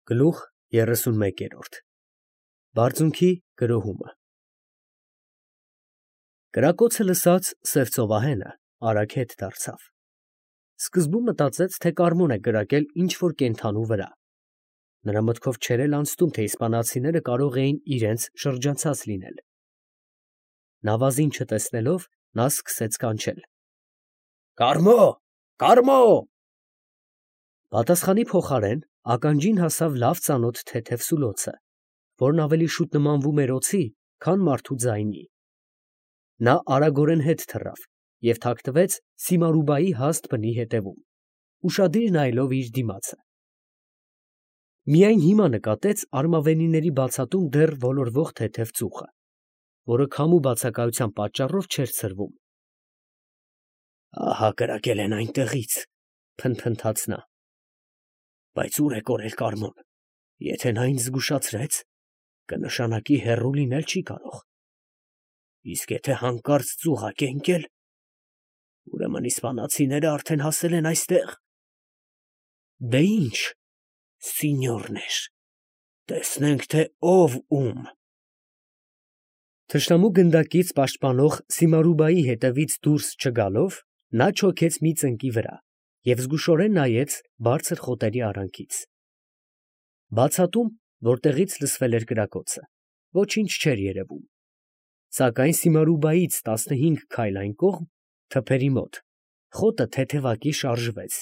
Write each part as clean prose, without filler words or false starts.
Գլուխ 31 Բարձունքի գրոհումը Կրակոցը լսած սև ծովահենը արագ հետ դարձավ. սկզբում մտածեց, թե Կարմոն է կրակել ինչ-որ կենդանու վրա. նրա մտքով չէր էլ անցնում, թե իսպանացիները կարող էին իրենց շրջանցած լինել. նավազին չտեսնելով, նա սկսեց կանչել. «Կարմո, Կարմո»։ Պատասխանի փոխարեն ականջին հասավ լավ ծանոթ թեթև սուլոցը, որն ավելի շուտ նմանվում էր օձի, քան մարդու ձայնի. նա արագորեն հետ թռավ և թաքնվեց Սիմարուբայի հաստ բնի ետևում, ուշադիր նայելով իր դիմացը. միայն հիմա նկատեց արմավենիների բացատում դեռ ոլորվող թեթև ծուխը, որը քամու բացակայության պատճառով չէր ցրվում։ «Ահա կրակել են այնտեղից», փնթփնթաց նա։ «Բայց ո՞ւր է կորել Կարմոն, եթե նա ինձ զգուշացրեց, կնշանակի հեռու լինել չի կարող։ Իսկ եթե հանկարծ ծուղակ է ընկել, ուրեմն իսպանացիները արդեն հասել են այստեղ։ Դե ի՞նչ, սինյորներ, տեսնենք, թե ով ում»։ Թշնամու գնդակից պաշտպանող Սիմարուբայի հետևից դուրս չգալով, նա չոքեց մի ծնկի վրա և զգուշորեն նայեց բարձր խոտերի արանքից. բացատում, որտեղից լսվել էր կրակոցը, ոչինչ չէր երևում, սակայն Սիմարուբայից 15 քայլ այն կողմ, թփերի մոտ, խոտը թեթևակի շարժվեց։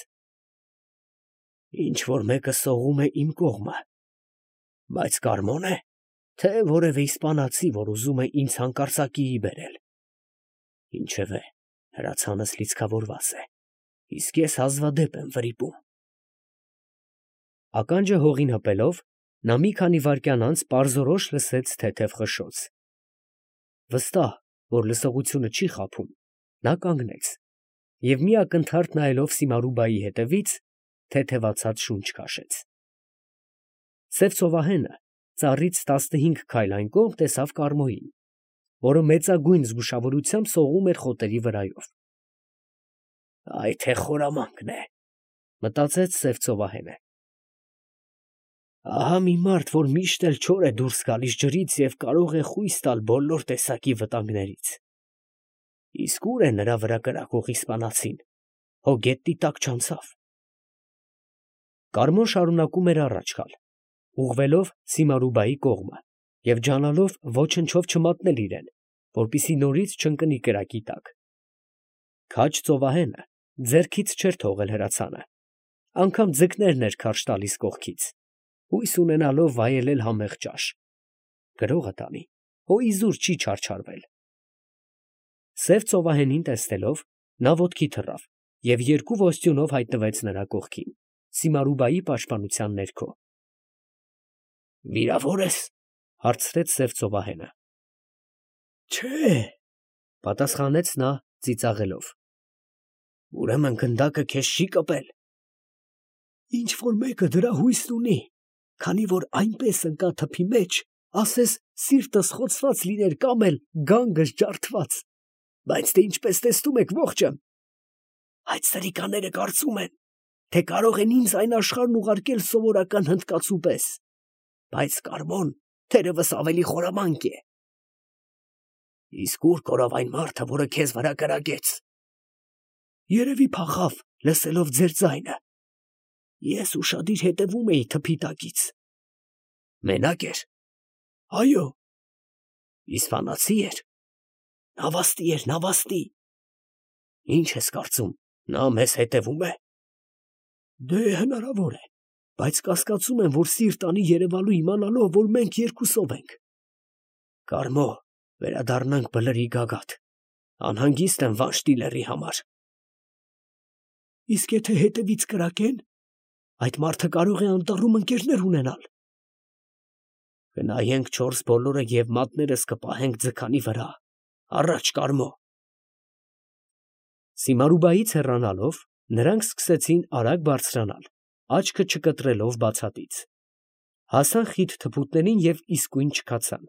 «Ինչ֊որ մեկը սողում է իմ կողմը, բայց Կարմո՞ն է, թե որևէ իսպանացի, որ ուզում է ինձ հանկարծակիի բերել։ Ինչևէ, հրացանս լիցքավորված է, իսկ ես հազվադեպ եմ վրիպում»։ Ականջը հողին հպելով, նա մի քանի վայրկյան անց պարզորոշ լսեց թեթև խշշոց։ Վստահ, որ լսողությունը չի խաբում, նա կանգնեց և մի ակնթարթ նայելով Սիմարուբայի հետևից, թեթևացած շունչ քաշեց։ Սև ծովահենը ծառից 15 քայլ այն կողմ տեսավ Կարմոյին, որը մեծագույն զգուշավորությամբ սողում էր խոտերի վրայով։ «Այ թե խորամանկն է», մտածեց սև ծովահենը։ «Ահա մի մարդ, որ միշտ էլ չոր է դուրս գալիս ջրից և կարող է խույս տալ բոլոր տեսակի վտանգներից։ Իսկ ո՞ւր է նրա վրա կրակող իսպանացին, հո գետնի տակ չանցավ»։ Կարմոն շարունակում էր առաջ գալ, ուղղվելով Սիմարուբայի կողմը և ջանալով ոչնչով չմատնել իրեն, որպեսզի նորից չընկնի կրակի տակ։ Քաջ ծովահենը ձեռքից չէր թողել հրացանը, անգամ ձկներն էր քարշ տալիս կողքից, հույս ունենալով վայելել համեղ ճաշ։ Գրողը տանի, հո իզուր չի չարչարվել։ Սև ծովահենին տեսնելով, նա ոտքի թռավ և երկու ոստյունով հայտնվեց նրա կողքին, Սիմարուբայի պաշտպանության ներքո։ «Վիրավոր ես?» հարցրեց սև ծովահենը։ «Չէ», պատասխանեց նա ծիծաղելով։ «Ուրեմն գնդակը քեզ չի կպել»։ «Ինչ֊որ մեկը դրա հույսն ունի, քանի որ այնպես ընկա թփի մեջ, ասես սիրտս խոցված լիներ կամ էլ գանգս ջարդված, բայց դե ինչպես տեսնում եք, ողջ եմ։ Այդ սրիկաները կարծում են, թե կարող են ինձ այն աշխարհն ուղարկել սովորական հնդկացու պես, բայց Կարմոն թերևս ավելի խորամանկ է։ Իսկ ո՞ւր կորավ այն մարդը, որը քեզ վրա կրակեց։ Երևի փախավ, լսելով ձեր ձայնը։ Ես ուշադիր հետևում էի թփի տակից։ Մենակ էր։ Այո։ Իսպանացի էր։ Նավաստի էր, նավաստի։ Ինչ ես կարծում, նա մեզ հետևում է։ Դե հնարավոր է, բայց կասկածում եմ, որ սիրտ անի երևալու իմանալով, որ մենք երկուսով ենք։ Կարմո, վերադառնանք Բլրի գագաթ, անհանգիստ եմ Վանշտիլերի համար։ Իսկ եթե հետևից կրակեն, այդ մարդը կարող է անտառում ընկերներ ունենալ։ Գնայենք 4 բոլորը և մատներս կպահենք ձգանի վրա, առաջ Կարմո։ Սիմարուբայից հեռանալով, նրանք սկսեցին արագ բարձրանալ, աչքը չկտրելով բացատից։ Հասան խիտ թփուտներին և իսկույն չքացան։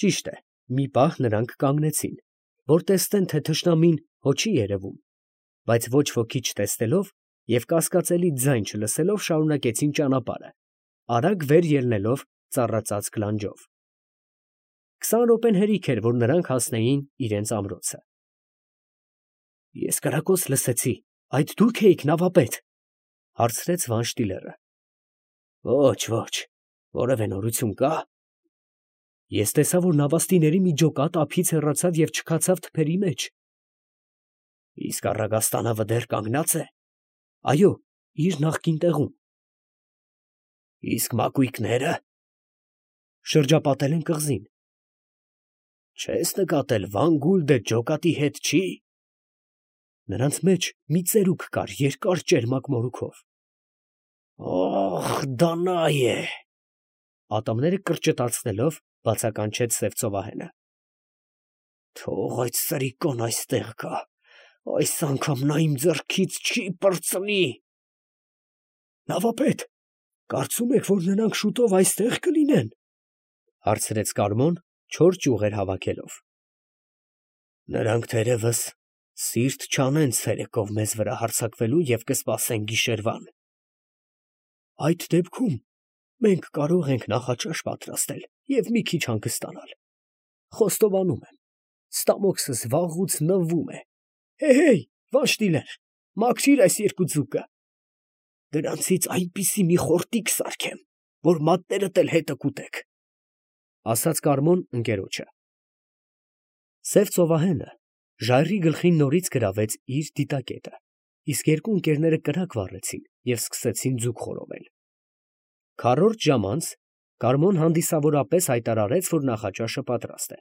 Ճիշտ է, մի պահ նրանք կանգնեցին, որ տեսնեն, թե թշնամին հո չի երևում, բայց ոչ ոքի չտեսնելով և կասկածելի ձայն չլսելով շարունակեցին ճանապարհը, արագ վեր ելնելով ծառածածկ լանջով։ 20 րոպեն հերիք էր, որ նրանք հասնեին իրենց ամրոցը։ Ես կրակոց լսեցի, այդ դուք էիք նավապետ, հարցրեց Վանշտիլերը։ Ոչ, ոչ, որևէ նորություն կա։ Ես տեսա, որ նավաստիների մի ջոկատ ափից հեռացավ և չքացավ թփերի մեջ։ Իսկ առագաստանավը դեռ կանգնած է։ Այո, իր նախկին տեղում։ Իսկ մակույկները շրջապատել են կղզին։ Չես նկատել Վան Գուլդը ջոկատի հետ չի։ Նրանց մեջ մի ծերուկ կար երկար ճերմակ մորուքով։ Օխ, դա նա է։ Ատամները կրճտացնելով բացականչեց սև ծովահենը։ Թող այդ սրիկոն այստեղ գա, այս անգամ նա իմ ձեռքից չի պրծնի։ Նավապետ, կարծում եք, որ նրանք շուտով այստեղ կլինեն, հարցրեց Կարմոն, չոր ճյուղեր հավաքելով։ Նրանք թերևս սիրտ չանեն ցերեկով մեզ վրա հարձակվելու և կսպասեն գիշերվան։ Այդ դեպքում մենք կարող ենք նախաճաշ պատրաստել և մի քիչ հանգստանալ։ Խոստովանում եմ, ստամոքսս վաղուց նվվում է։ Հեյ, Վանշտիլեր, մաքրիր այս երկու ձուկը։ Դրանցից այնպիսի մի խորտիկ սարքեմ, որ մատներդ էլ հետը կուտեք, ասաց Կարմոն ընկերոջը։ Սև ծովահենը ժայռի գլխին նորից գրավեց իր դիտակետը, իսկ երկու ընկերները կրակ վառեցին և սկսեցին ձուկ խորովել։ Քառորդ ժամ անց Կարմոն հանդիսավորապես հայտարարեց, որ նախաճաշը պատրաստ է։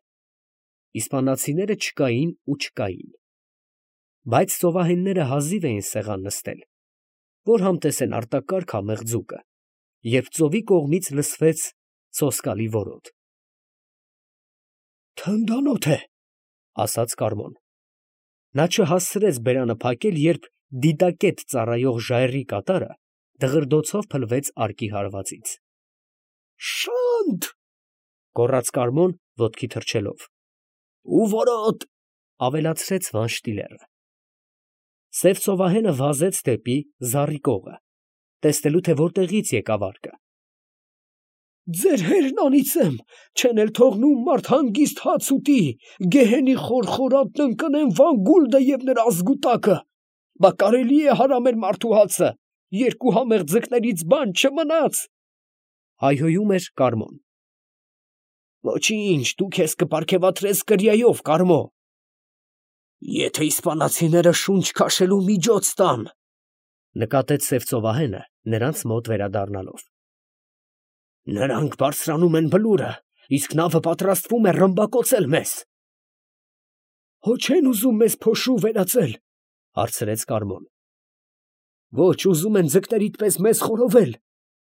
Իսպանացիները չկային ու չկային։ Բայց ծովահենները հազիվ էին սեղան նստել, որ համտեսեն արտակարգ համեղ ձուկը, երբ ծովի կողմից լսվեց սոսկալի որոտ։ Թնդանոթ է, ասաց Կարմոն։ Նա չհասցրեց բերանը փակել, երբ դիտակետ ծառայող ժայռի կատարը դղրդոցով փլվեց արկի հարվածից։ Շանթ, գոռաց Կարմոն ոտքի թռչելով։ Ու որոտ, ավելացրեց Վանշտիլերը։ Սև ծովահենը վազեց դեպի զառի կողը, տեսնելու թե որտեղից եկավ արկը։ Ձեր հերնանիցեմ, չեն էլ թողնում մարդ հանգիստ հաց ուտի, գեհենի խորխորատն ընկնեն Վան Գուլդը և նրա ազգուտակը։ Բա կարելի է հարամել մարդու հացը, երկու համեղ ձկներից բան չմնաց, հայհոյում էր Կարմոն։ Ոչինչ, դու քեզ կպարգևատրես կրիայով, Կարմո։ Եթե իսպանացիները շունչ քաշելու միջոց տան, նկատեց սև ծովահենը նրանց մոտ վերադառնալով։ Նրանք բարձրանում են բլուրը, իսկ նավը պատրաստվում է ռմբակոծել մեզ։ Հո չեն ուզում մեզ փոշու վերածել, հարցրեց Կարմոն։ Ոչ, ուզում են ձկներիդ պես մեզ խորովել,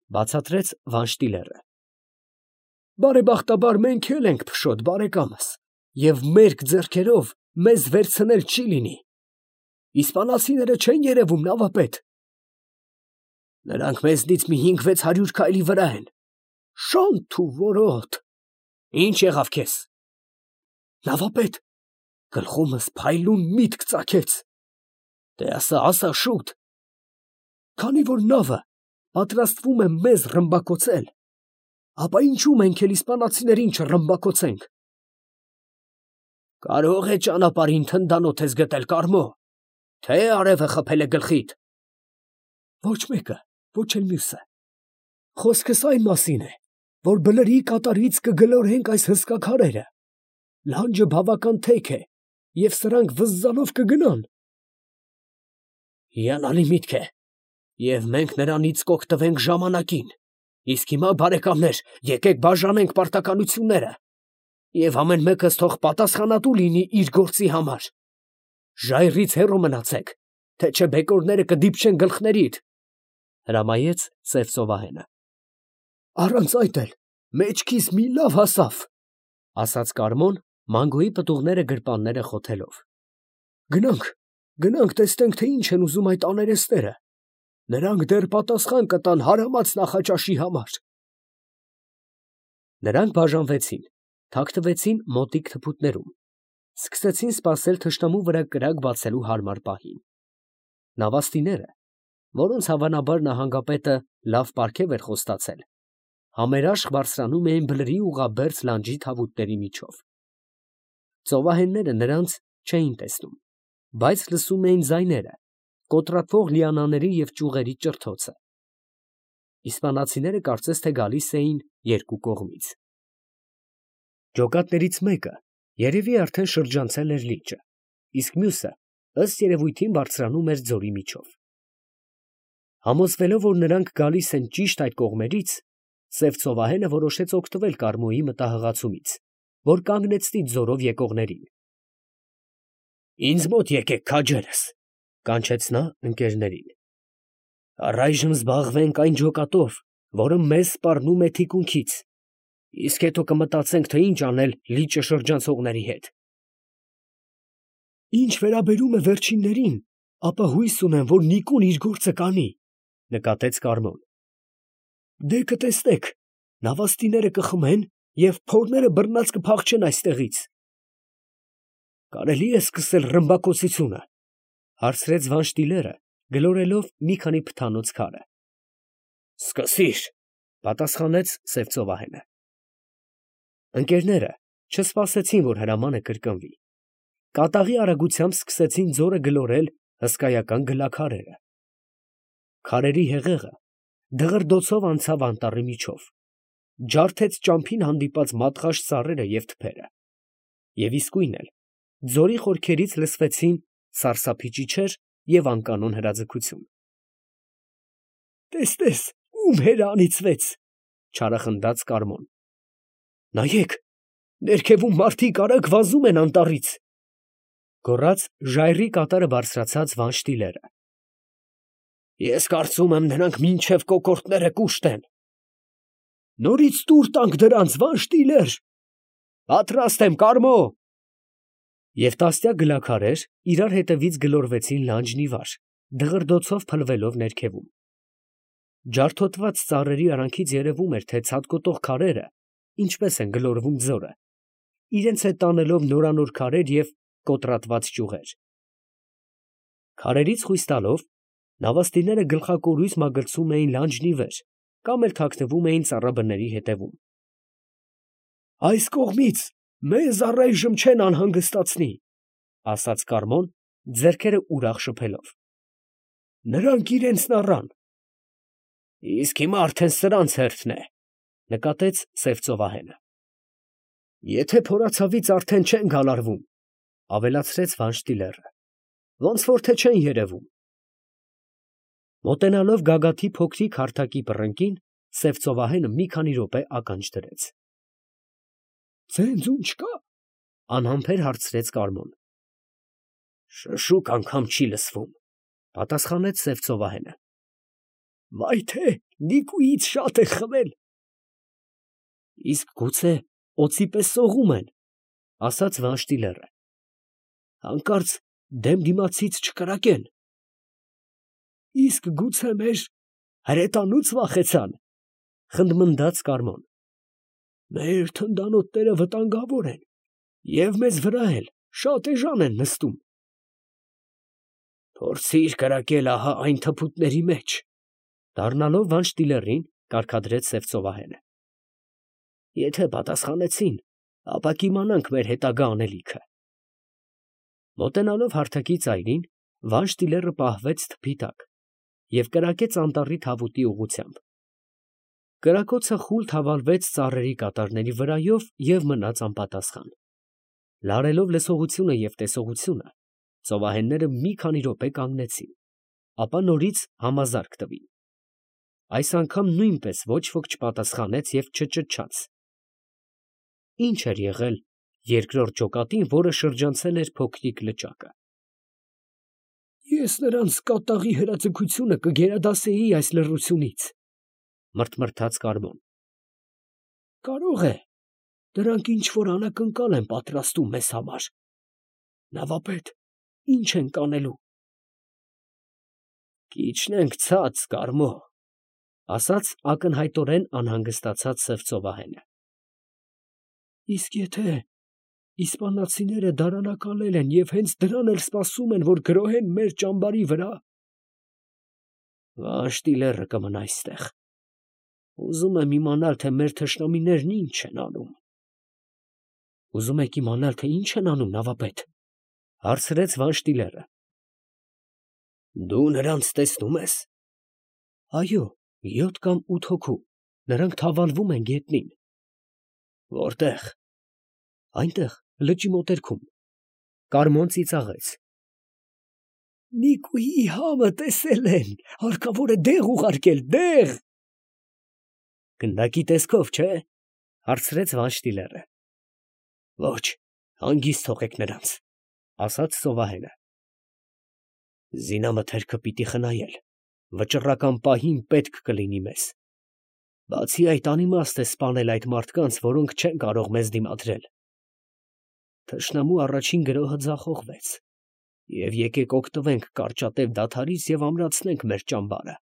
բացատրեց Վանշտիլերը։ Բարեբախտաբար մենք էլ ենք փշոտ, բարեկամս, և մերկ ձեռքերով մեզ վերցնել չի լինի։ Իսպանացիները չեն երևում, նավապետ։ Նրանք մեզնից մի 500-600 քայլի վրա են։ Շանթ ու որոտ։ Ինչ եղավ քեզ։ Նավապետ, գլխումս փայլուն միտք ծագեց։ Դե ասա շուտ։ Քանի որ նավը պատրաստվում է մեզ ռմբակոծել, ապա ինչու մենք էլ իսպանացիներին չռմբակոծենք։ Կարող է ճանապարհին թնդանոթ ես գտել, Կարմո, թե արևը խփել է գլխիդ։ Ոչ մեկը, ոչ էլ մյուսը։ Խոսքս այն մասին է, որ բլրի կատարից կգլորենք այս հսկա քարերը։ Լանջը բավական թեք է, և սրանք վզզալով կգնան։ Հիանալի միտք է, և մենք նրանից կօգտվենք ժամանակին։ Իսկ հիմա, բարեկամներ, եկեք բաժանենք պարտականությունները, և ամեն մեկս թող պատասխանատու լինի իր գործի համար։ Ժայռից հեռու մնացեք, թե չէ բեկորները կդիպչեն գլխներիդ, հրամայեց սև ծովահենը։ Առանց այդ էլ մեջքիս մի լավ հասավ, ասաց Կարմոն, մանգոյի պտուղները գրպանները խոթելով։ Գնանք տեսնենք, թե ինչ են ուզում այդ աներեստները։ Նրանք դեռ պատասխան կտան հարամած նախաճաշի համար։ Նրանք բաժանվեցին, թաքնվեցին մոտիկ թփուտներում, սկսեցին սպասել թշնամու վրա կրակ բացելու հարմար պահին։ Նավաստիները, որոնց հավանաբար նահանգապետը լավ պարգև էր խոստացել, համերաշխ բարձրանում էին բլրի ուղղաբերձ լանջի թավուտների միջով։ Ծովահենները նրանց չէին տեսնում, բայց լսում էին ձայները, կոտրատվող լիանաների և ճյուղերի ճրթոցը։ Իսպանացիները կարծես թե գալիս էին երկու կողմից։ Ջոկատներից մեկը երևի արդեն շրջանցել էր լիճը, իսկ մյուսը ըստ երևույթին բարձրանում էր ձորի միջով։ Համոզվելով, որ նրանք գալիս են ճիշտ այդ կողմերից, սև ծովահենը որոշեց օգտվել Կարմոյի մտահղացումից, որ կանգնեցնի ձորով եկողներին։ «Ինձ մոտ եկեք, քաջերս», կանչեց նա ընկերներին։ «Առայժմ զբաղվենք այն ջոկատով, որը մեզ սպառնում է թիկունքից, իսկ հետո կմտածենք, թե ինչ անել լիճը շրջանցողների հետ»։ «Ինչ վերաբերում է վերջիններին, ապա հույս ունեմ, որ Նիկոն իր գործը կանի», նկատեց Կարմոն։ «Դե կտեսնեք, նավաստիները կխմեն և փորները բռնած կփախչեն այստեղից»։ «Կարելի է սկսել ռմբակոծությունը», հարցրեց Վանշտիլերը, գլորելով մի քանի փթանոց քարը։ «Սկսի՛ր», պատասխանեց սև ծովահենը։ Ընկերները չսպասեցին, որ հրամանը կրկնվի։ Կատաղի արագությամբ սկսեցին ձորը գլորել հսկայական գլաքարերը։ Քարերի հեղեղը դղրդոցով անցավ անտառի միջով, ջարդեց ճամփին հանդիպած մատղաշ ծառերը և թփերը, և իսկույն էլ ձորի խորքերից լսվեցին սարսափի ճիչեր և անկանոն հրաձգություն։ «Տես, ում հերը անիծվեց», չարախնդաց Կարմոն։ «Նայեք, ներքևում մարդիկ արագ վազում են անտառից», գոռաց ժայռի կատարը բարձրացած Վանշտիլերը։ «Ես կարծում եմ, նրանք մինչև կոկորդները կուշտեն»։ «Նորից տուր տանք դրանց, Վանշտիլեր»։ «Պատրաստ եմ, Կարմո»։ Եվ տասնյակ գլաքարեր իրար հետևից գլորվեցին լանջն ի վար, դղրդոցով փլվելով ներքևում։ Ջարդոտված ծառերի արանքից երևում էր, թե ցատկոտող քարերը ինչպես են գլորվում ձորը, իրենց հետ տանելով նորանոր քարեր և կոտրատված ճյուղեր։ Քարերից խույս տալով, նավաստիները գլխակորույս մագլցում էին լանջն ի վեր կամ էլ թաքնվում էին ծառաբների ետևում։ «Այս կողմից մեզ առայժմ չեն անհանգստացնի», ասաց Կարմոն, ձեռքերը ուրախ շփելով։ «Նրանք իրենցն առան»։ «Իսկ հիմա արդեն սրանց հերթն է», նկատեց սև ծովահենը։ «Եթե փորացավից արդեն չեն գալարվում», ավելացրեց Վանշտիլերը, «ոնց որ թե չեն երևում»։ Մոտենալով գագաթի փոքրիկ հարթակի պռնկին, սև ծովահենը մի քանի րոպե ականջ դրեց։ «Ձենձուն չկա՞, անհամբեր հարցրեց Կարմոն։ «Շշուկ անգամ չի լսվում», պատասխանեց սև ծովահենը։ «Վայ թե Նիկուից շատ է խմել»։ «Իսկ գուցե օձի պես սողում են», ասաց Վանշտիլերը։ «Հանկարծ դեմ դիմացից չկրակեն»։ «Իսկ գուցե մեր հրետանուց վախեցան», խնդմնդաց Կարմոն։ «Մեր թնդանոթները վտանգավոր են և մեզ վրա էլ շատ էժան են նստում»։ «Փորձիր կրակել ահա այն թփուտների մեջ», դառնալով Վանշտիլերին, կարգադրեց սև ծովահենը։ «Եթե պատասխանեցին, ապա կիմանանք մեր հետագա անելիքը»։ Մոտենալով հարթակի ծայրին, Վանշտիլերը պահվեց թփի տակ և կրակեց անտառի թավուտի ուղղությամբ։ Կրակոցը խուլ թավալվեց ծառերի կատարների վրայով և մնաց անպատասխան։ Լարելով լսողությունը և տեսողությունը, ծովահենները մի քանի րոպե կանգնեցին, ապա նորից համազարկ տվին։ Այս անգամ նույնպես ոչ ոք չպատասխանեց և չճչաց։ Ի՞նչ էր եղել երկրորդ ջոկատին, որը շրջանցել էր փոքրիկ լճակը։ «Ես նրանց կատաղի հրաձգությունը կգերադասեի այս լռությունից», մռթմռթաց Կարմոն։ «Կարող է, դրանք ինչ որ անակնկալ են պատրաստում մեզ համար։ Նավապետ, ի՞նչ ենք անելու»։ «Կիջնենք ցած, Կարմո», ասաց ակնհայտորեն անհանգստացած սև ծովահենը։ «Իսկ եթե իսպանացիները դարանակալել են և հենց դրան էլ սպասում են, որ գրոհեն մեր ճամբարի վրա»։ «Վանշտիլերը կմնա այստեղ, Ուզում եմ իմանալ, թե մեր թշնամիներն ինչ են անում։ Ուզում եք իմանալ, թե ինչ են անում, նավապետ, հարցրեց Վանշտիլերը։ Դու նրանց տեսնում ես։ Այո, 7 կամ 8 հոգու, նրանք թավալվում են գետնին։ Որտե՞ղ։ Այնտեղ, լճի մոտերքում։ Կարմոն ծիծաղեց։ Նիկուի համը տեսել են, հարկավոր է դեղ ուղարկել, դեղ։ Գնդակի տեսքով, չէ, հարցրեց Վանշտիլերը։ Ոչ, հանգիստ թողեք նրանց, ասաց ծովահենը։ Զինամթերքը պիտի խնայել, վճռական պահին պետք կլինի մեզ։ Բացի այդ, անիմաստ է սպանել այդ մարդկանց, որոնք չեն կարող մեզ դիմադրել։ Թշնամու առաջին գրոհը ձախողվեց, և եկեք օգտվենք կարճատև դադարից և ամրացնենք մեր ճամբարը։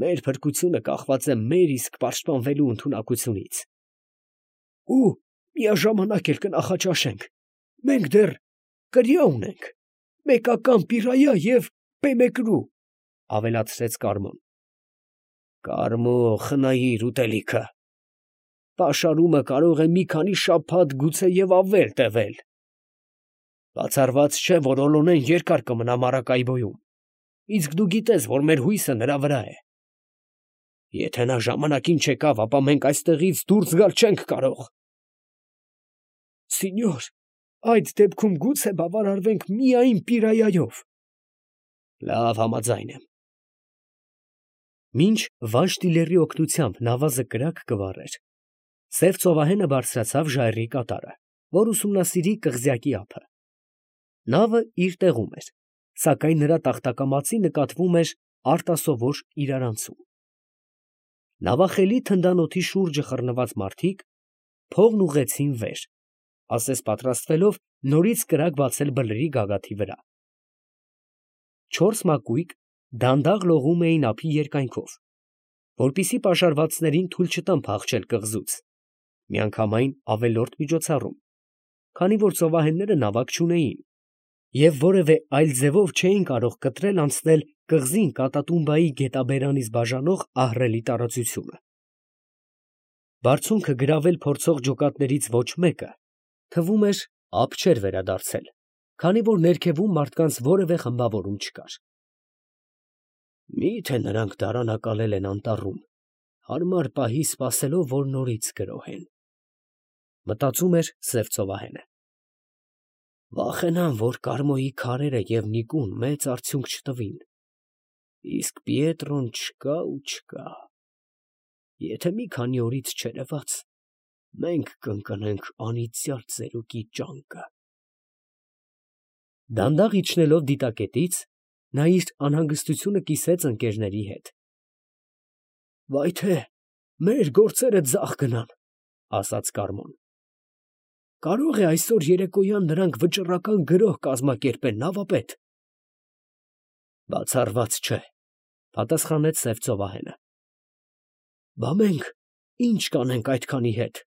Մեր փրկությունը կախված է մեր իսկ պաշտպանվելու ընդունակությունից։ Ու միաժամանակ էլ կնախաճաշենք, մենք դեռ կրիա ունենք, մեկական պիրայա և պեմեկրու, ավելացրեց Կարմոն։ Կարմո, խնայիր ուտելիքը։ Պաշարումը կարող է մի քանի շաբաթ, գուցե և ավել տևել։ Բացառված չէ, որ Օլոնեն երկար կմնա Մարակայբոյում, իսկ դու գիտես, որ մեր հույսը նրա վրա է։ Եթե նա ժամանակին չեկավ, ապա մենք այստեղից դուրս գալ չենք կարող։ Սինյոր, այդ դեպքում գուցե բավարարվենք միայն պիրայայով։ Լավ, համաձայն եմ։ Մինչ Վանշտիլերի օգնությամբ նավազը կրակ կվառեր, սև ծովահենը բարձրացավ ժայռի կատարը, որ ուսումնասիրի կղզյակի ափը։ Նավը իր տեղում էր, սակայն նրա տախտակամածի նկատվում էր արտասովոր իրարանցում։ Նավախելի թնդանոթի շուրջը խռնված մարդիկ փողն ուղղեցին վեր, ասես պատրաստվելով նորից կրակ բացել բլրի գագաթի վրա։ 4 մակույկ դանդաղ լողում էին ափի երկայնքով, որպեսզի պաշարվածներին թույլ չտան փախչել կղզուց, միանգամայն ավելորդ միջոցառում, քանի որ ծովահենները նավակ չունեին և որևէ այլ ձևով չէին կարող կտրել անցնել կղզին Կատատումբայի գետաբերանից բաժանող ահռելի տարածությունը։ Բարձունքը գրավել փորձող ջոկատներից ոչ մեկը, թվում էր, ափ չէր վերադարձել, քանի որ ներքևում մարդկանց որևէ խմբավորում չկար։ Մի՞թե նրանք դարանակալել են անտառում, հարմար պահի սպասելով, որ նորից գրոհեն, մտածում էր սև ծովահենը։ Վախենամ, որ Կարմոյի քարերը և Նիկուն մեծ արդյունք չտվին, իսկ Պիետրոն չկա ու չկա։ Եթե մի քանի օրից չերևաց, մենք կընկնենք անիծյալ ծերուկի ճանկը։ Դանդաղ իջնելով դիտակետից, նա իր անհանգստությունը կիսեց ընկերների հետ։ Վայ թե, մեր գործերը ձախ գնան, ասաց Կարմոն։ Կարող է այսօր երեկոյան նրանք վճռական գրոհ կազմակերպեն, նավապետ։ Բացառված չէ, պատասխանեց սև ծովահենը։ Բա մենք ի՞նչ կանենք այդքանի հետ։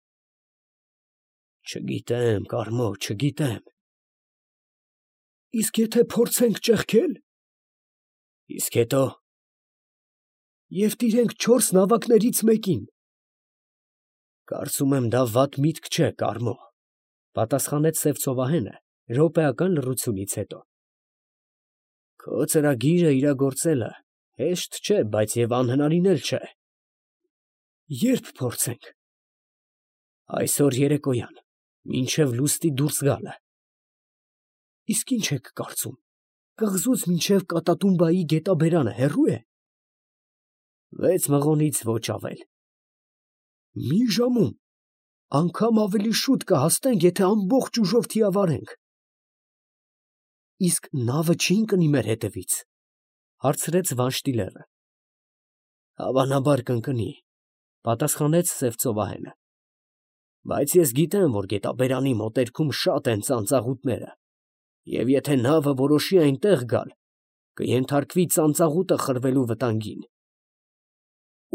Չգիտեմ, Կարմո, չգիտեմ։ Իսկ եթե փորձենք ճեղքել։ Իսկ հետո։ Եվ տիրենք 4 նավակներից մեկին։ Կարծում եմ, դա վատ միտք չէ, Կարմո, պատասխանեց սև ծովահենը րոպեական լռությունից հետո։ Քո ծրագիրը իրագործելը հեշտ չէ, բայց և անհնարին էլ չէ։ Ե՞րբ փորձենք։ Այսօր երեկոյան, մինչև լուսնի դուրս գալը։ Իսկ ինչ եք կարծում, կղզուց մինչև Կատատումբայի գետաբերանը հեռու է։ 6 մղոնից ոչ ավել։ Մի ժամում, անգամ ավելի շուտ կհասնենք, եթե ամբողջ ուժով թիավարենք։ Իսկ նավը չի ընկնի մեր հետևից, հարցրեց Վանշտիլերը։ Հավանաբար կընկնի, պատասխանեց սև ծովահենը։ Բայց ես գիտեմ, որ գետաբերանի մոտերքում շատ են ծանծաղուտները, և եթե նավը որոշի այնտեղ գալ, կենթարկվի ծանծաղուտը խրվելու վտանգին։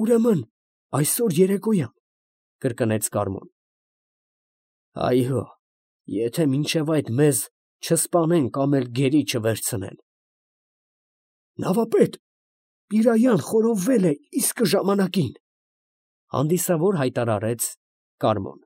Ուրեմն այսօր երեկոյան, կրկնեց Կարմոն։ Այո, եթե մինչև այդ մեզ չսպանեն կամ էլ գերի չվերցնեն։ Նավապետ, Պիրայան խորովվել է իսկը ժամանակին։ Հանդիսավոր հայտարարեց Կարմոն։